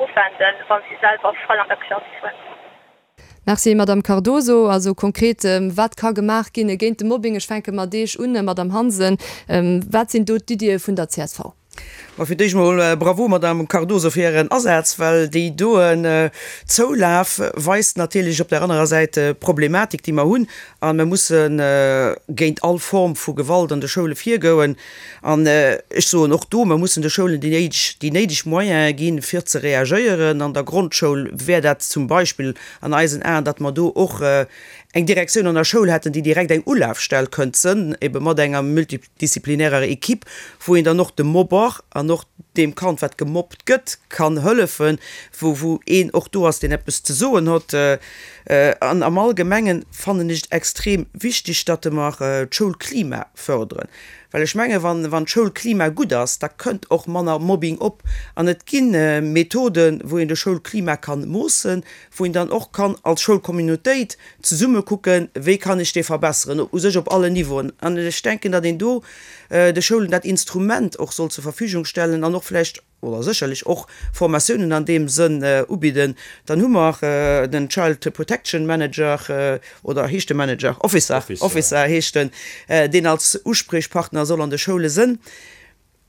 [SPEAKER 9] uwenden, wa si selwer Fall an der Klass hunn.
[SPEAKER 3] Merci, Madamm Cardoso. Also konkret, wat ka gemaach ginn géint de Mobbing? Ech fänke mat Iech un, Madamm Hansen. Wat sinn do d'Iddie vun der csv?
[SPEAKER 6] Ma fir d'éischt mol Bravo, Madamm Cardoso, fir Ären Asaz, well déi doen Zoulaf weist natierlech op där anerer Säit d'Problematik, déi mer hunn. A mer musse géint all Form vu Gewalt an de Schoule virgoen. An ech soen och do, mer mussen de Schoulen déi néideg, déi néideg Moyene ginn, fir ze reagéieren. An der Grondschoul wär dat zum Beispill an eisen Aen, datt mer do och eng Direktioun an der Schoul hätten, déi direkt eng Ulafstell kënnt sënn, ebe mat enger multidisziplinärer Equipe, wou een dann och dem Mobber an och deem Kand, wat gemobbt gëtt, kann hëllefen, wou, wou een och do ass, deen eppes ze soen hott. An am Allgemengen fannen ech et extrem wichteg, datt mer d'Schoulklima fërderen. Well ech menge wann wann d'Schoulklima gutt ass, da kënnt och manner Mobbing op. An et gi Methoden, wou een de Schoulklima kann moossen, wou een dann och kann als Schoulcommunautéit zesumme kucken, wéi kann ech dee verbesseren, u sech op allen Niveauen. An ech denken, datt een do de Schoulen dat Instrument och soll zur Verfügung stellen an och vläicht, oder sécherlech och Formatiounen an deem Sënn ubidden, dann hu mer den Child Protection Manager, oder heescht de Manager? Officer, Officer heescht en, deen als Uspriechpartner soll an de Schoule sënn.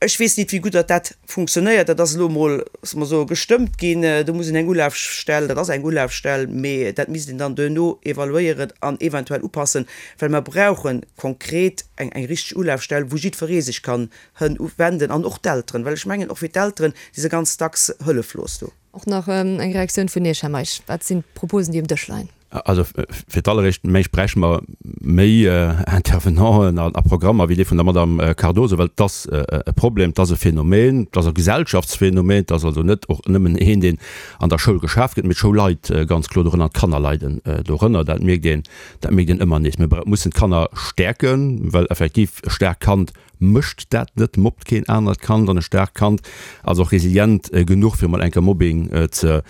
[SPEAKER 6] Ech weess nit, wéi gutt datt dat funktionéiert. Dat ass elo emol, loosse mer soen, gestëmmt ginn. Do muss een eng Ulafstell, dat ass eng Ulafstell, mee dat misst een dann duerno evaluéieren an eventuell upassen, well mer brauche konkret eng richteg Ulafstell, wou jiddweree sech kann Hënn wenden an och d'Elteren, well ech mengen, och fir d'Elteren si se ganz dacks hëlleflos do.
[SPEAKER 3] Och nach eng Reaktioun vun Iech, Här Meisch. Wat sinn d'Proposen, déi um Dësch leien?
[SPEAKER 4] Also fir d'alleréischt mengen ech, bräichte mer méi Intervenanten a Programmer wéi dee vun der Madame Cardoso, well et ass e Problem, et ass e Phänomen, et ass e Gesellschaftsphänomen, et ass also net och nëmmen een, deen an der Schoul geschaf gëtt, mee d'Schoul leit ganz kloer dorënner an d'Kanner leiden dorënner. Dat mierkt een, dat mierkt een ëmmer nees. Mir mussen d'Kanner stäerken, well effektiv e staarkt Kand Mécht dat net, mobbt keen anert Kand an e staarkt Kand ass och resilient genuch fir mol enker Mobbing ze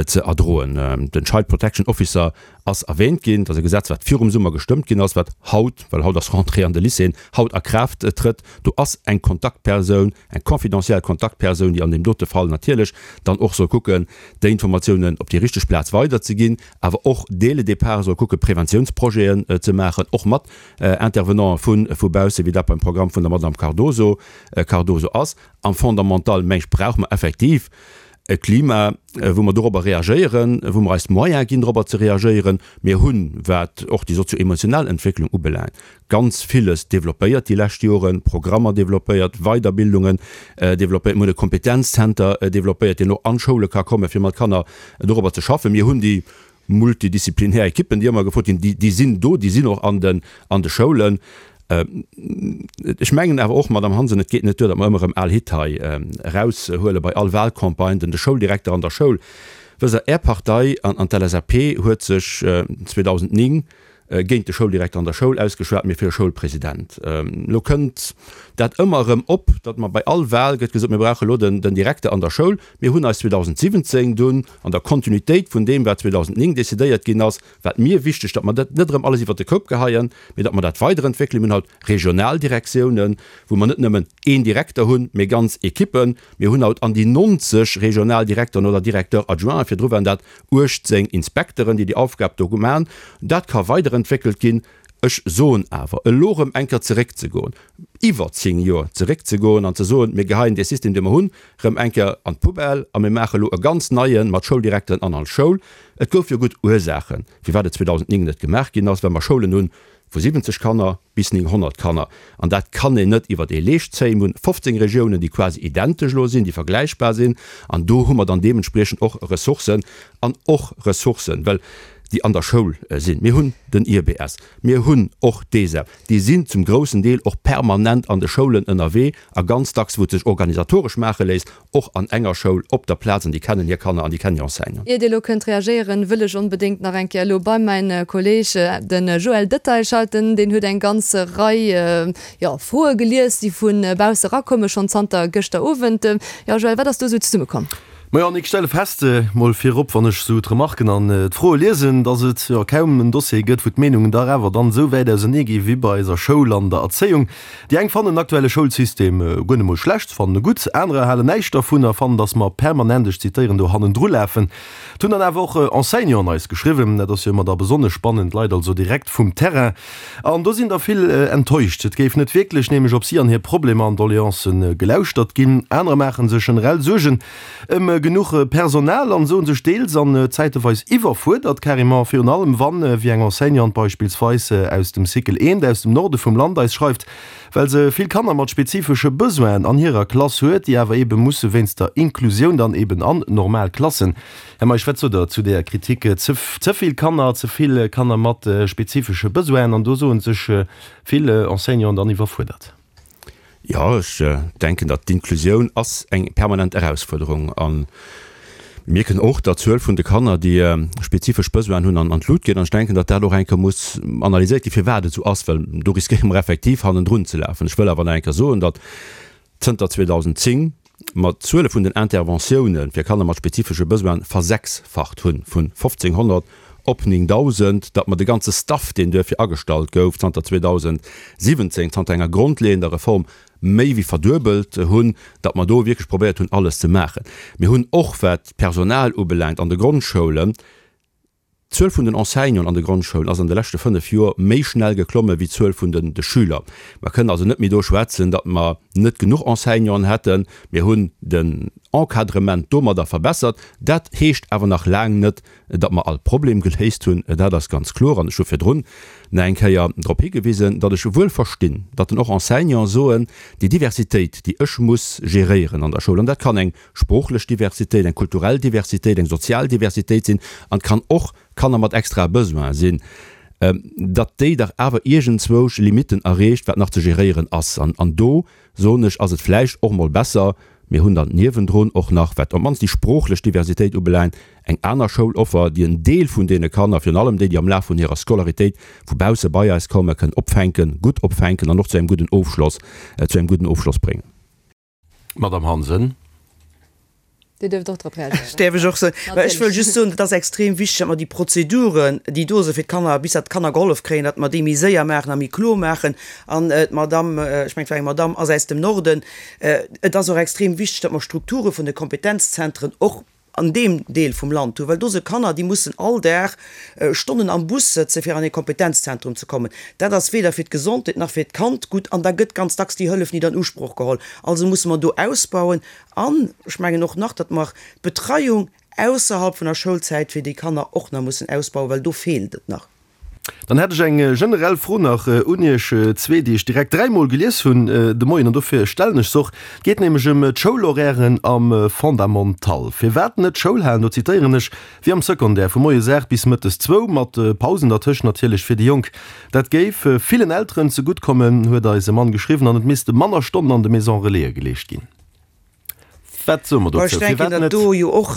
[SPEAKER 4] ze erdroen. Den Child Protection Officer ass erwähnt ginn, dat ass e Gesetz wat virum Summer gestëmmt ginn ass, wat haut, well haut ass Rentrée an de Lycéeën, haut a Kraaft trëtt. Do ass eng Kontaktpersoun, eng confidentiel Kontaktpersoun, déi an deem dote Fall natierlech dann och soll kucken, déi Informatiounen op déi richteg Plaz weiderzeginn, awer och dès le départ soll kucken, Preventiounsprojeten ze maachen, och mat Intervenanten vu vu bausse, wéi dat beim Programm vun der Madame Cardoso Cardoso ass. Am Fondamental, meng ech, brauche mer effektiv e Klima, wou mer dorobber reagéieren, wou mer eis d'Moyene ginn, dorobber ze reagéieren. Mir hunn, wat och déi sozio-emotionell Entwécklung ubelaangt, ganz villes développéiert déi lescht Joren, Programmer développéiert, Weiderbildungen développéiert. Mir hunn e Kompetenzzenter développéiert, deen och an d'Schoule ka kommen, fir mat Kanner dorobber ze schaffen. Mir hunn déi multidisziplinär Ekippen, déi ëmmer gefrot ginn, déi, déi sinn do, déi sinn och an den, an de Schoulen. Ech mengen awer och, Madamm Hansen, et geet net duer, datt mer ëmmer erëm al Hitt hei eraushuele bei all Wahlcampagne. Den, de Schouldirekter an der Schoul. Wësst Der, Är Partei an an d'LSAP huet sech 2009 géint de Schouldirekter an der Schoul ausgeschwat, mee fir e Schoulpresident. Elo kënnt dat ëmmer erëm op, datt mer bei all Wahl gëtt gesot, mir brauche elo den Direkter an der Schoul. Mir hunn eis 2017 dunn an der Kontinuitéit vun deem, wat 2009 decidéiert ginn ass, war et mir wichteg, datt mer dat net erëm alles iwwert de Koup geheien, mee datt mer dat weiderentwéckelen. Mir hunn haut Regionaldirektiounen, wou mer net nëmmen een Direkter hunn, mee ganz Ekippen. Mir hunn haut an déi 90 Regionaldirekteren oder Directeurs adjoints, virdru waren dat 18 Inspekteren, déi déi Aufgab do man. Dat ka weiderentwéckelt ginn. Ech soen awer, elo erëm eng Kéier zeréckzegoen, iwwer 10 Joer zeréckzegoen an ze soen, mir geheien dee System, dee mer hunn, erëm eng Kéier an d'Poubelle a mir maache elo e ganz neie mat Schouldirekteren an all Schoul. Et gouf jo gutt Ursaachen, firwat et 2009 net gemaach ginn ass, well mer Schoulen hunn vu 70 Kanner bis 900 Kanner, an dat kann een net iwwert ee Leescht zéien. Mir hunn 15 Regiounen, déi quasi identesch elo sinn, déi vergläichbar sinn, an do hu mer dann deementspriechend och Ressourcen an och Ressourcen, well déi an der Schoul sinn. Mir hunn den IBS, mir hunn och d'ESEP, déi sinn zum groussen Deel och permanent an de Schoulen ënnerwee a ganz dacks, wou et sech organisatoresch maache léisst, och an enger Schoul op der Plaz an déi kennen hir Kanner an déi kennen hir Enseignanten.
[SPEAKER 3] Ier Dir elo kënnt reagéieren, wëll ech onbedéngt nach eng Kéier elo bei mäin Kolleg, de Joël Detaille, schalten. Deen huet eng ganz Rei, jo, Froe gelies, déi vu bausse erakommen, schonn zanter gëschter Owend. Jo, Joël, wat ass do esou zesummekomm?
[SPEAKER 10] Majo, Annick, ech stelle fest, mol virop, wann ech esou d'Remarken an d'Froe liesen, dass et jo kaum en Dossier gëtt, wou d'Meenungen dach awer dann esou wäit ausernee gi wéi bei eiser Schoul an der Erzéiung. Déi eng fannen den aktuelle Schoulsystem guer net mol schlecht, fannen e gutt, anerer halen näischt dervun a fannen, datt mer permanent, ech zitéieren, do hannendru lafen. Et hunn dann awer och Enseignanten eis geschriwwen, dat ass jo ëmmer da besonnesch spannend, Leit also direkt vum Terrain. An do sinn der vill enttäuscht. Et géif net wierklech nämlech op si an hir Problemer an Doleancen gelauschtert ginn. Anerer maache sech generell Suergen ëm genuch Personal an soen sech deels an zäiteweis iwwerfuerdert, carrément, virun allem wann, wéi eng Enseignante beispillsweis aus dem Cycle eent aus dem Norde vum Land eis schreift, well se vill Kanner mat spezifesche Besoinen an hirer Klass huet, déi awer eebe musse wéinst der Inklusioun dann eeben an normal Klassen. Här Meisch, wat sot Der zu deeër Kritik? Ze vill Kanner, ze vill Kanner mat spezifesche Besoinen an do soe sech vill Enseignanten dann iwwerfuerdert.
[SPEAKER 4] Jo, ech denken, datt d'Inklusioun ass eng permanent Erausfuerderung. A mir mierken och, datt d'Zuel vun de Kanner, déi spezifesch Besoinen hunn, an d'Lut geet. An ech denken, datt dat och eng Kéier muss analyséiert ginn, firwat et esou ass, well do riskéiere mer effektiv hannendrun ze lafen. Ech wëll awer nach eng Kéier soen, datt zënter 2010 mer d'Zuele vun den Interventioune fir Kanner mat spezifesche Besoine versechsfacht hunn, vun 1.500 op 9.000, datt mer de ganze Staff, deen duerfir agestallt gouf zanter 2017, zanter enger grondleeënder Reform, méi wéi verduebelt hunn, datt mer do wierklech probéiert hunn, alles ze maachen. Mir hunn och, wat d'Personal ubelaangt an de Grondschoulen, D'Zuel vun den Enseignanten an de Grondschoulen ass an de leschte 5 Joer méi schnell geklomme wéi d'Zuel vun de Schüler. Mer kënnen also net méi do schwätzen, datt mer net genuch Enseignanten hätten. Mir hunn den Encadrement domadder verbessert. Dat heescht awer nach laang net, datt mer all Problem geléist hunn. Dat ass ganz kloer. An ech hu virdrun nach eng Kéier drop higewisen, datt ech wuel verstinn, datt en och Enseignante soen, déi Diversitéit, déi ech muss geréieren an der Schoul, an dat kann eng sproochlech Diversitéit, eng kulturell Diversitéit, eng sozial Diversitéit sinn an et kann och Kanner mat extrae Besoine sinn, datt déi dach awer iergendzwousch Limitten erreecht, wat nach ze geréieren ass. An an do, soen ech, ass et vläicht och mol besser, mir hunn dann niewendrun och nach, wat op d'mannst déi sproochlech Diversitéit ubelaangt, eng aner Schouloffer, déi en Deel vun deene Kanner, virun allem déi, déi am Laf vun hirer Scolaritéit vu bausse bei eis kommen, kënnen opfänken, gutt opfänken an och zu engem gudden Ofschloss, zu engem gudden Ofschloss bréngen.
[SPEAKER 10] Madame Hansen.
[SPEAKER 3] Dir duerft och drop reagéieren.
[SPEAKER 6] Däerf ech och soen? Mä ech wëll just soen, et ass extrem wichteg, datt mer déi Prozeduren, déi do si fir d'Kanner, bis datt d'Kanner gehollef kréien, datt mer déi méi séier maachen a méi kloer maachen. An d'Madame, ech mengen, et war eng Madame, ass aus dem Norden. Et ass och extrem wichteg, datt mer Strukture vun de Kompetenzzentren och an deem Deel vum Land hunn, well do si Kanner, déi mussen all Dag Stonnen am Bus sëtzen, fir an ee Kompetenzzentrum ze kommen. Dat ass weder fir d'Gesondheet nach fir d'Kand gutt an da gëtt ganz dacks déi Hëllef nit an Usproch geholl. Also musse mer do ausbauen an ech mengen och nach, datt mer d'Betreiung ausserhalb vun der Schoulzäit fir déi Kanner och nach mussen ausbauen, well do feelt et nach.
[SPEAKER 10] Dann hätt ech eng generell Fro nach un Iech zwee, déi ech direkt dräimol gelies hunn de Moien, an dofir stellen ech se och. Et geet nämlech ëm d'Schoulhorairen am Fondamental. Firwat net Schoul halen, do zitéieren ech, wéi am Secondaire, vu moies 8 bis mëttes zwou, mat Pausen dertëscht natierlech fir déi Jonk. Dat géif villen Elteren zegutt kommen, huet eis e Mann geschriwwen, an et misste manner Stonnen an de Maison-relaisen geleescht ginn. Wat soe mer
[SPEAKER 6] dozou? Ech denken,
[SPEAKER 10] datt
[SPEAKER 6] do jo och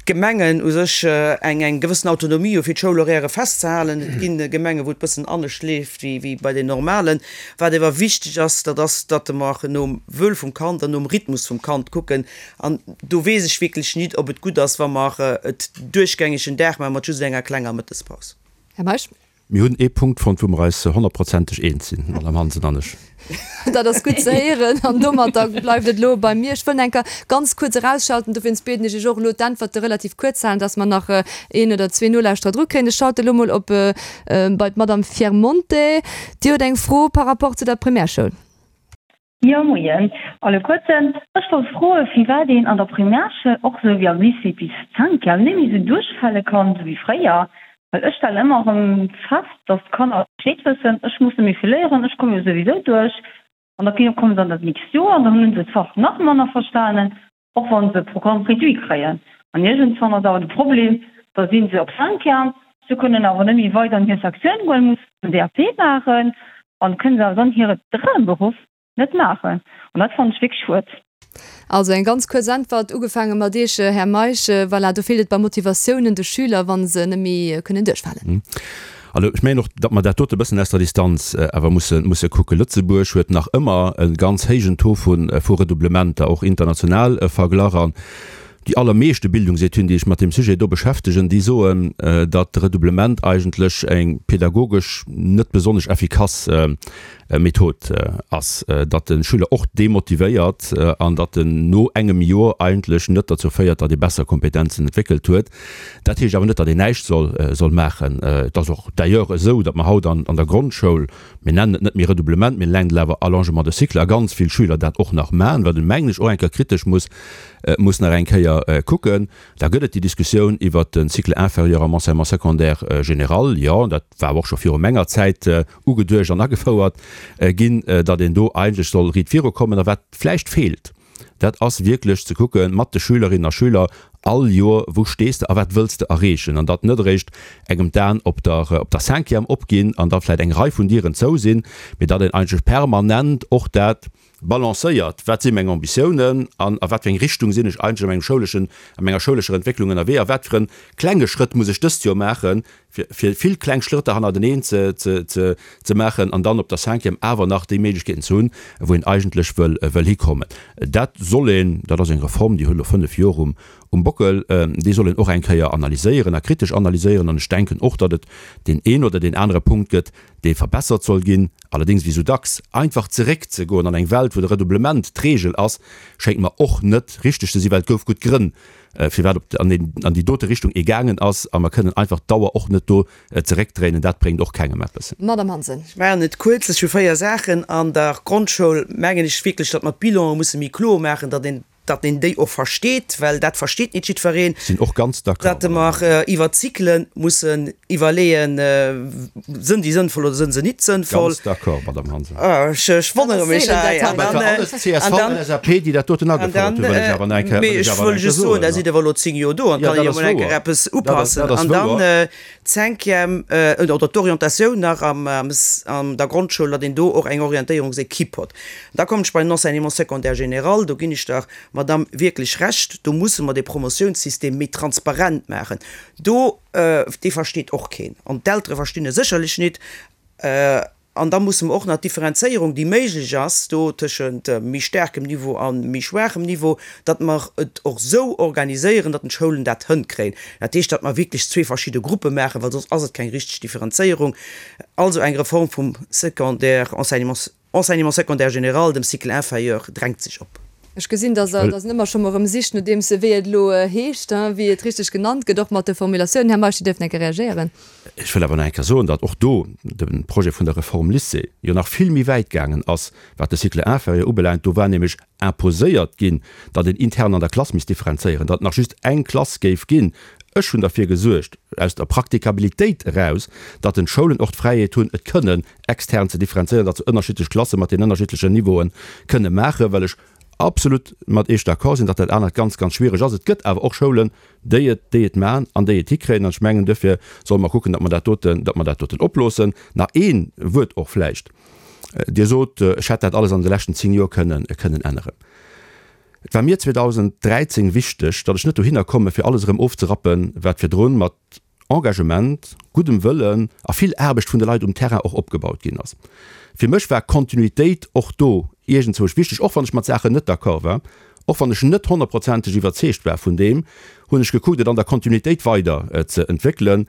[SPEAKER 6] d'Gemengen u sech eng eng gewëssen Autonomie hu fir d'Schoulhorairë festzehalen. Et gi Gemengen, wou et bëssen anescht leeft wéi bei den normalen. Wat ewer wichteg ass, dat ass, datt mer nom Wëll vum Kand an nom Rhythmus vum Kand kucken. An do weess ech wierklech nit, ob et gutt ass, wa mer et duerchgängeg en Dag maache mat just enger klenger Mëttespaus.
[SPEAKER 3] Här Meisch.
[SPEAKER 4] Mir hunn ee Punkt fonnt, wou mer eis honnertprozenteg eens sinn, d'Madame Hansen an ech.
[SPEAKER 3] Dat ass gutt ze héieren. An domatter bleift et elo bei mir. Ech wëll eng Kéier ganz kuerz erausschalten, dowéinst bieden ech Iech och elo d'Äntwerte relativ kuerz ze halen, dass mer nach een oder zwee Nolauschterer dru kréien. Ech schalte elo mol op bei d'Madame Fiermonte. Dir hutt eng Fro par rapport zu der Primärschoul.
[SPEAKER 11] Jo moien alleguerten, ech wollt froen firwat een an der Primärschoul och sou wéi am Lycée bis Cinquième net méi sou duerchfale kann sou wéi fréier, well ech stellen ëmmer erëm fest dass d'Kanner Bescheed wëssen, ech muss net méi vill léieren, ech komme jo souwisou duerch an da komme se an dat nächst Joer an dann hunn se d'Fach nach manner verstanen, och wann se Programme réduit kréien. An iergendswann ass awer de Problem, da si se op Cinquième, se kënnen awer net méi weider an hir Sektioun goen, mussen DAP maachen an kënnen se awer dann hire Dramberuff net maachen. An dat fannen ech wierklech schued.
[SPEAKER 3] Also eng ganz kuerz Äntwert, ugefaange mat Iech, Här Meisch. Voilà, do feelt et bei Motivatioun un de Schüler, wa se net méi kënnen duerchfalen.
[SPEAKER 4] Also ech mengen och, datt mer dat dote e bëssen aus der Distanz awer musse, musse kucken. Lëtzebuerg huet nach ëmmer e ganz héijen Taux vu, vu Redoublementer, och international verglach. An déi allermeeschte Bildungsetüden, déi sech mat deem Sujet do beschäftegen, déi soen, datt de Redoublement eigentlech eng pedagogesch net besonnesch effikass Method ass, datt de Schüler och demotivéiert an datt en no engem Joer eigentlech net derzou féiert, datt ee besser Kompetenzen entwéckelt huet. Dat heescht awer net, datt een näischt soll soll maachen. Et ass och d'ailleurs esou, datt mer haut an an der Grondschoul, mir nennen et net méi Redoublement, mir nennen et awer Allongement de cycle, a ganz vill Schüler dat och nach maachen, wat een, mengen ech, och eng Kéier kritesch muss muss nach eng Kéier kucken. Da gëtt et déi Diskussioun iwwert de Cycle inférieur am Enseignement secondaire général. Jo, dat war awer och scho viru menger Zäit ugeduecht an agefouert ginn, datt een do eigentlech soll riit virukommen. A wat vläicht feelt, dat ass wierklech ze kucke mat de Schülerinnen a Schüler all Joer, Wou stees de a wat wëlls de erreechen? An datt net eréischt engem d'Aen op der op der Cinquième opginn an da vläicht eng Rei vun Dieren zou sinn, mee datt een eigentlech permanent och dat balancéiert, Wat si meng Ambitiounen an a wat fir eng Richtung sinn ech eigentlech a mengem schouleschen, a menger schoulescher Entwécklung ënnerwee a wat fir e klenge Schrëtt muss ech dëst Joer maachen, fir fir vill kleng Schrëtter hannerteneen ze ze ze ze maachen an dann op der Cinquième awer nach déi Méiglechkeeten ze hunn, wou een eigentlech wëll wëll hikommen. Dat soll een, dat ass eng Reform, déi huet elo 5 Joer um um Bockel, déi soll een och eng Kéier analyséieren a kritesch analyséieren an ech denken och, datt et deen een oder deen anere Punkt gëtt, dee verbessert soll ginn. Allerdéngs, wéi sou dacks, einfach zeréckzegoen an eng Welt, wou de Redoublement d'Regel ass, schéngt mer och net richteg ze sinn, well et gouf gutt Grënn, firwat op an an déi dote Richtung ee gaangen ass, a mer kënnen einfach d'Auer och net do zeréckdréinen. Dat bréngt och kengem eppes.
[SPEAKER 3] Madame Hansen.
[SPEAKER 6] Ech maachen et kuerz. Ech hu 4 Saachen. An der Grondschoul mengen ech wierklech, datt mer d'Bilanen musse méi kloer maachen, datt een datt een déi och versteet, well dat versteet nit jiddwereen.
[SPEAKER 4] Sinn och ganz d'accord.
[SPEAKER 6] Datt mer iwwer d'Zykle mussen iwwerleeën, sënn déi sënnvoll oder sënn se nit sënnvoll.
[SPEAKER 4] Ganz d'accord, Madame Hansen.
[SPEAKER 6] Ech wonnere mech hei.
[SPEAKER 4] An dann, alles csv, LSAP, déi dat doten agefouert hunn, wëll ech awer nach eng Kéier, wëll ech awer nach eng Kéier soen.
[SPEAKER 6] Mee ech wëll just soen, da sidd awer elo 10 Joer do an kann een jo mol eng Kéier eppes upassen. An dann d'Cinquième, oder d'Orientatioun nach am, an der Grondschoul, datt een do och eng Orientéierungsequipe hott. Da kommen ech bei den Enseignement secondaire général. Do ginn ech der Madame wierklech Recht, do musse mer dee Promotiounssystem méi transparent maachen. Do, dee versteet och keen an d'Eltere verstinn e sécherlech nit. An da musse mer och nach d'Differenzéierung, déi méiglech ass do tëschent méi staarkem Niveau a méi schwaachem Niveau, datt mer et och esou organiséieren, datt d'Schoulen dat hënkréien. Dat heescht, datt mer wierklech zwee verschidde Gruppe maachen, well soss ass et keng richteg Differenzéierung. Also eng Reform vum Secondaire, Enseignement, Enseignement secondaire général, dem Cycle inférieur, drängt sech op.
[SPEAKER 3] Ech gesinn, dass Der dass en ëmmer scho mol erëm sicht, nodeems wéi et elo heescht, wéi et richteg genannt gëtt, och mat de Formulatiounen. Här Meisch, Dir dierft nach eng Kéier reagéieren.
[SPEAKER 4] Ech wëll awer nach eng Kéier soen, datt och do de Projet vun der Reform Lycée jo nach vill méi wäit gaangen ass, wat de Cycle inférieur ubelaangt. Do war nämlech imposéiert ginn, datt een intern an der Klass misst differenzéieren, datt et nach just eng Klass géif ginn. Ech hunn derfir gesuergt, aus der Praktikabilitéit eraus, datt den d'Schoulen och d'Fräiheet hunn, et kënnen extern ze differenzéieren, datt se ënnerschiddlech Klasse mat den ënnerschiddlechen Niveaue kënne maachen, well ech absolut mat Iech d'accord sinn, datt dat anert ganz, ganz schwiereg ass. Et gëtt awer och Schoulen, déi et, déi et maachen an déi et hikréien. An ech mengen, duerfir solle mer kucken, datt mer dat doten, datt mer dat doten oploossen. Nach ee Wuert och vläicht. Dir sot, ech hätt dat alles an de leschten 10 Joer kënnen, kënnen änneren. Et war mir 2013 wichteg, datt ech net dohinner komme fir alles erëm ofzerappen, wat virdrun mat Engagement, guddem Wëllen a vill Aarbecht vun de Leit um Terrain och opgebaut ginn ass. Fir mech war Kontinuitéit och do iergendzwousch wichteg, och wann ech mat Saachen net d'accord war, och wann ech net honnertprozenteg iwwerzeegt war vun deem, hunn ech gekuckt, et an der Kontinuitéit weider ze entwéckelen.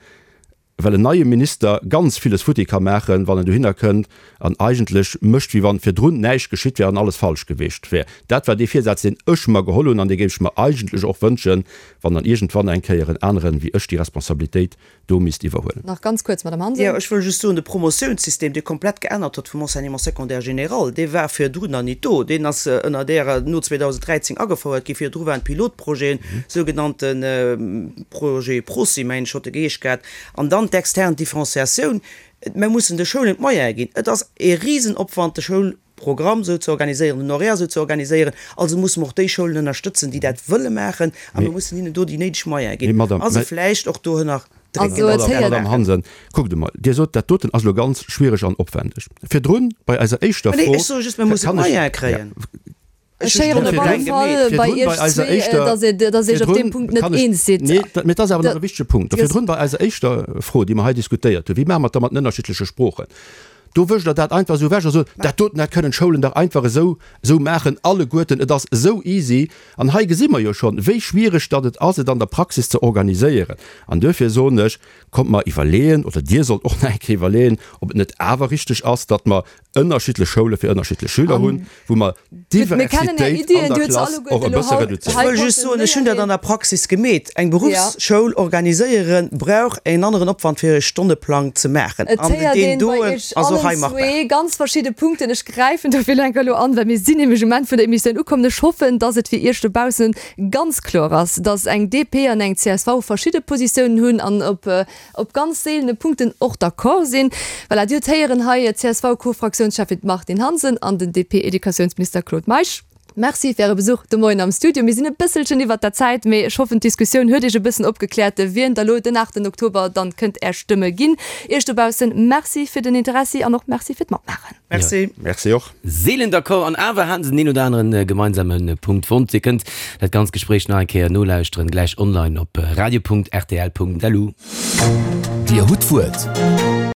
[SPEAKER 4] Well en neie Minister ganz villes futti ka maachen, wann en dohinner kënnt an eigentlech mécht, wéi wann virdrun näischt geschitt wär an alles falsch geweecht wär. Dat war dee Virsaz, deen ech mer geholl hunn an dee géif ech mer eigentlech och wënschen, wann dann iergendwann eng Kéier en aneren wéi ech déi Responsabilitéit do misst iwwerhuelen.
[SPEAKER 3] Nach ganz kuerz, Madame Hansen.
[SPEAKER 6] Jo, ech wëll just soen, de Promotiounssystem, dee komplett geännert huet vum Enseignement secondaire général, dee war virdrun nach nit do. Deen ass ënner Ärer, no 2013 agefouert gi. Virdru waren d'Pilotprojeten, sougenannte Projet ProSy, mengen ech, huet e geheescht gehat, an dann d'extern Differenciatioun. Mer mussen de Schoulen d'Moyene ginn. Et ass e Risenopwand, de Schoulprogramm esou ze organiséieren, den Horaire esou ze organiséieren. Also musse mer och déi Schoulen ënnerstëtzen, déi dat wëlle maachen, a mir mussen hinnen do déi néideg Moyene ginn a se vläicht och dohënner drécken,
[SPEAKER 4] datt se dat Madame Hansen, kuckt emol, Dir sot, dat doten ass elo ganz schwiereg an opwändeg. Virdrun, bei eiser éischter Fro,
[SPEAKER 6] Nee, ech soe just, mer mussen d'Moyene kréien.
[SPEAKER 3] Ech héieren op alle Fall bei Iech zwee, datt Dir Iech op deem Punkt net eens sidd.
[SPEAKER 4] Nee, mee et ass awer nach e wichtege Punkt. Virdrun bei eiser éischter Fro, déi mer hei diskutéiert hunn, wéi maache mer et da mat den ënnerschiddleche Sproochen, do wëscht Der dat einfach esou ewech a sot, dat doten, dat kënnen d'Schoulen dach einfach esou esou maachen alleguerten, et ass esou easy. An hei gesi mer jo schonn, wéi schwiereg datt et ass, et an der Praxis ze organiséieren. An duerfir soen ech, kommt mer iwwerleeën, oder Dir sollt och nach eng Kéier iwwerleeën, ob et net awer richteg ass, datt mer ënnerschiddlech Schoule fir ënnerschiddlech Schüler hunn, wou mer d'Diversitéit an der Klass och e bësse
[SPEAKER 6] reduzéieren. Ech wëll just soen, ech hunn dat an der Praxis gemeet, Eng Beruffsschoul organiséiere brauch en aneren Opwand fir e Stonneplang ze maachen.
[SPEAKER 3] Et héiert een bei Iech allen zwee ganz verschidde Punkten. Ech gräifen dofir elo enker elo an, well mir sinn nämlech um Enn vun der Emissioun ukomm. Ech hoffen, dass et fir Iech dobaussen ganz kloer ass, dass eng DP an eng csv verschidde Positiounen hunn an op op ganz seelene Punkten och d'accord sinn. Voilà, Dir hutt héieren hei d'CSV-Co-Fraktiounscheffin Martine Hansen an den DP-Educatiounsminister Claude Meisch. Merci fir Äre Besuch de Moien am Studio. Mir sinn e bësselchen iwwert der Zäit, mee ech hoffen d'Diskussioun huet Iech e bëssen opgekläert, wien da lo den 8 Oktober dann kënnt Är Stëmme ginn. Iech dobaussen Merci fir den Interessi an och Merci fir d'Matmaachen.
[SPEAKER 6] Merci.
[SPEAKER 4] Merci och.
[SPEAKER 2] Seelen d'accord an awer haten se den een oder aneren gemeinsame Punkt fonnt. Dir kënnt dat ganzt Gespréich nach eng Kéier nolauschteren, gläich online op radio.rtl.lu.
[SPEAKER 1] Dir hutt d'Wuert.